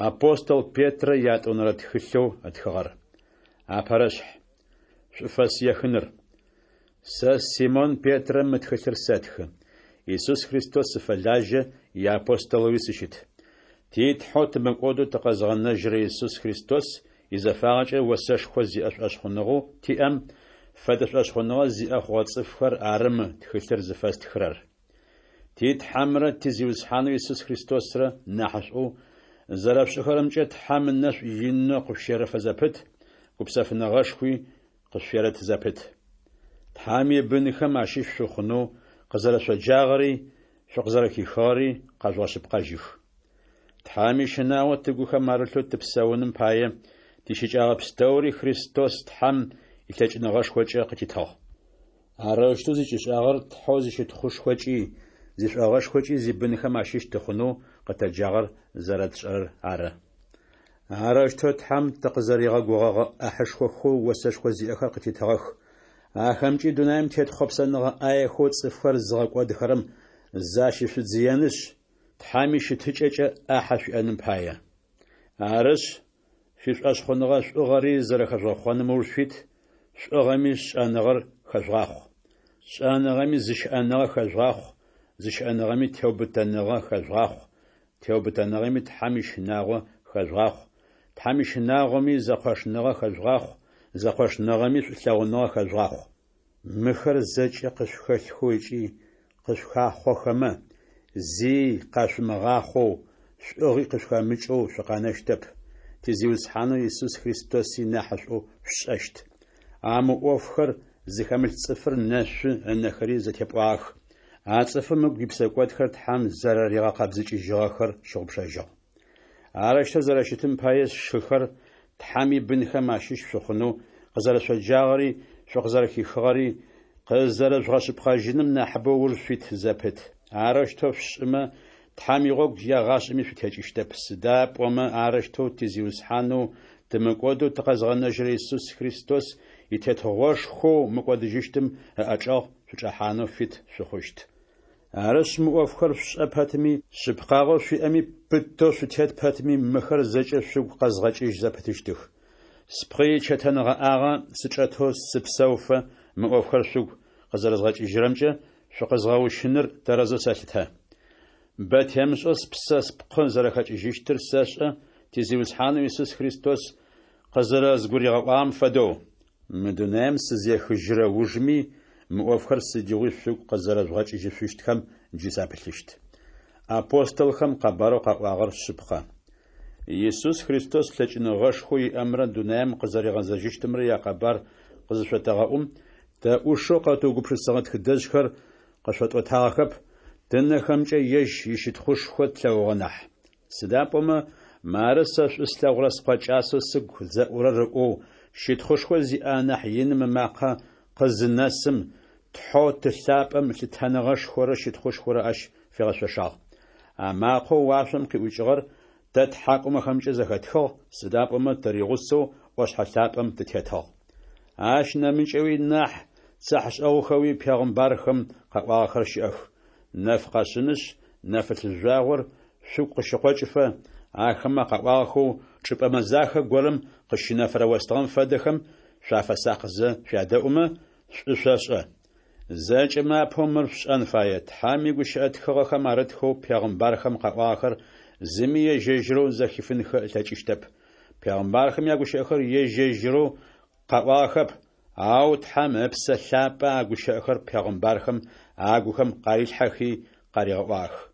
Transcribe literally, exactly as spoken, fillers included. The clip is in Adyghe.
Апостол Петрэ ятӏонэрэ тхылъэу ытхыгъэр. Апэрэшъхь. Шӏуфэс ехыныр. Сэ Симон Петрэ мы тхылъыр сэтхы. Исус Христос сыфэлажьэ, иапостолэуи сыщыт. Ти Тхьэу тымыкӏодэу тыкъэзыгъэнэжьырэ Исус Христос изэфагъэкӏэ осэшхо зиӏэ шӏошъхъуныгъэу тиӏэм фэдэ шӏошъхъуныгъэ зиӏэ хъугъэ цӏыфхэр ары мы тхылъыр зыфэстхырэр. Ти Тхьэмрэ ти Зиусхьанэу Исус Христосрэ нахьышӏоу зэрэшъушӏэхэрэмкӏэ Тхьэм ынэшӏу инэу къышъущерэфэ зэпыт, гупсэфыныгъэшхуи къышъуерэт зэпыт. Тхьэм ибынхэм ащыщ шъухъунэу къызэрэшъоджагъэри шъукъызэрэхихыгъэри къэжъугъэшъыпкъэжьых. Тхьэм ищынагъо тыгухэм арылъэу тыпсэуным пае тищыкӏэгъэ пстэури Христос Тхьэм илъэкӏыныгъэшхокӏэ къытитыгъ. Арэущтэу зыкӏишӏагъэр Тхьэу зищытхъушхокӏи, зишӏогъэшхокӏи зибынхэм ащыщ тыхъунэу къытэджагъэр зэрэтшӏэрэр ары. Арэущтэу Тхьэм тыкъызэригъэгугъэгъэ ӏахьышхохэу осэшхо зиӏэхэр къытитыгъэх. Ахэмкӏи дунаим тет хъопсэныгъэ ӏаехэу цӏыфхэр зыгъэкӏодыхэрэм защышъудзыенышъ, Тхьэм ищытыкӏэкӏэ ӏахьэ шъуиӏэным пае. Арышъ, шъуишӏошъхъуныгъэ шӏугъэри зэрэхэжъугъэхъоным ыуж шъуит, шӏугъэми шӏэныгъэр хэжъугъахъу. Шӏэныгъэми зыщыӏэныгъэ хэжъугъахъу, зыщыӏэныгъэми теубытэныгъэ хэжъугъахъу, теубытэныгъэми Тхьэм ищынагъо хэжъугъахъу, Тхьэм ищынагъоми зэкъошныгъэ хэжъугъахъу, зэкъошныгъэми шӏулъэгъуныгъэ хэжъугъахъу. Мыхэр зэкӏэ къышъухэлъхэу ыкӏи къышъухахъохэмэ, зи къашъумыгъахъоу, шӏугъи къышъухэмыкӏэу шъукъэнэщтэп, ти Зиусхьанэу Исус Христоси нахьышӏоу шъушӏэщт. А мы ӏофхэр зыхэмылъ цӏыфыр нэшъу, ынэхэри зэтепӏуагъэх. А цӏыфым ыгу ипсэкӏодхэр Тхьэм зэрэригъэкъэбзыкӏыжьыгъэхэр щыгъупшэжьыгъ. Арэущтэу зэрэщытым пае, сшыхэр, Тхьэм ибынхэм ащыщ шъухъунэу къызэрэшъоджагъэри шъукъызэрэхихыгъэри къызэрэжъугъэшъыпкъэжьыным нахьыбэу ыуж шъуит зэпыт. Арэущтэу шъушӏымэ, Тхьэм игъогу егъашӏэми шъутекӏыщтэп, сыда пӏомэ арэущтэу ти Зиусхьанэу тымыкӏодэу тыкъэзыгъэнэжьырэ Исус Христос и Тетыгъошхоу мыкӏодыжьыщтым ыӏэчӏэгъ шъучӏэхьанэу фит шъухъущт. Арышъ, мы ӏофхэр шъушӏэ пэтми, шъыпкъагъэу шъуиӏэми пытэу шъутет пэтми, мыхэр зэкӏэ шъугу къэзгъэкӏыжь зэпытыщтых. Спкъы ичэтэнгъэӏагъэ сычӏэтэу сыпсэуфэ, мы ӏофхэр шъугу къызэрэзгъэкӏыжьырэмкӏэ шъукъэзгъэущыныр тэрэзэу сэлъытэ. Бэ темышӏэу спсэ спкъы зэрэхэкӏыжьыщтыр сэшӏэ, ти Зиусхьанэу Исус Христос къызэрэзгуригъэӏуагъэм фэдэу. Мы дунаим сызехыжьырэ ужми, мы ӏофхэр сыдигъуи шъугу къызэрэжъугъэкӏыжьышъущтхэм джы сапылъыщт. Апостолхэм къэбарэу къаӏуагъэр шъыпкъэ. Исус Христос лъэкӏыныгъэшхоу иӏэмрэ дунаим къызэригъэзэжьыщтымрэ якъэбар къызышъотэгъэӏум, тэ ӏушэу къэтыугупшысыгъэ тхыдэжъхэр къышъотӏотагъэхэп, тынэхэмкӏэ ежь ищытхъушхо тлъэгъугъэ нахь. Сыда пӏомэ, мары сэ шӏу слъэгъурэ Скъо кӏасэу сыгу зэӏурэр ыӏоу, щытхъушхо зиӏэ анахь иным ымакъэ къызынэсым, Тхьэу Ты лъапӏэм лъытэныгъэшхорэ щытхъушхорэ ащ фигъэшъошагъ. А макъэу уашъом къиӏукӏыгъэр тэ ттхьакӏумэхэмкӏэ зэхэтхыгъ, сыда пӏомэ тыригъусэу ӏошъхьэ лъапӏэм тытетыгъ. Ащ нэмыкӏэуи нахь цыхьэшӏэгъухэуи пегъымбархэм къаӏуагъэхэр щыӏэх. Нэф къэшъынышъ, нэфылъ жъуагъор шъугу къыщыкъокӏыфэ, ахэмэ къаӏуагъэхэу чӏыпӏэ мэзахэ горэм къыщынэфырэ остыгъэм фэдэхэм шъуафэсакъызэ шъуядэӏумэ, шӏу шъошӏэ. Зэкӏэмэ апэу мыр шъушӏэн фае: Тхьэм игущыӏэ тхыгъэхэм арытхэу пегъымбархэм къаӏуагъэхэр зыми ежь-ежьырэу зэхифынхэ ылъэкӏыщтэп. Пегъымбархэм ягущыӏэхэр ежь-ежьырэу къаӏуагъэхэп, ау Тхьэм Ыпсэ Лъапӏэ а гущыӏэхэр пегъымбархэм агухэм къарилъхьэхи къаригъэӏуагъэх.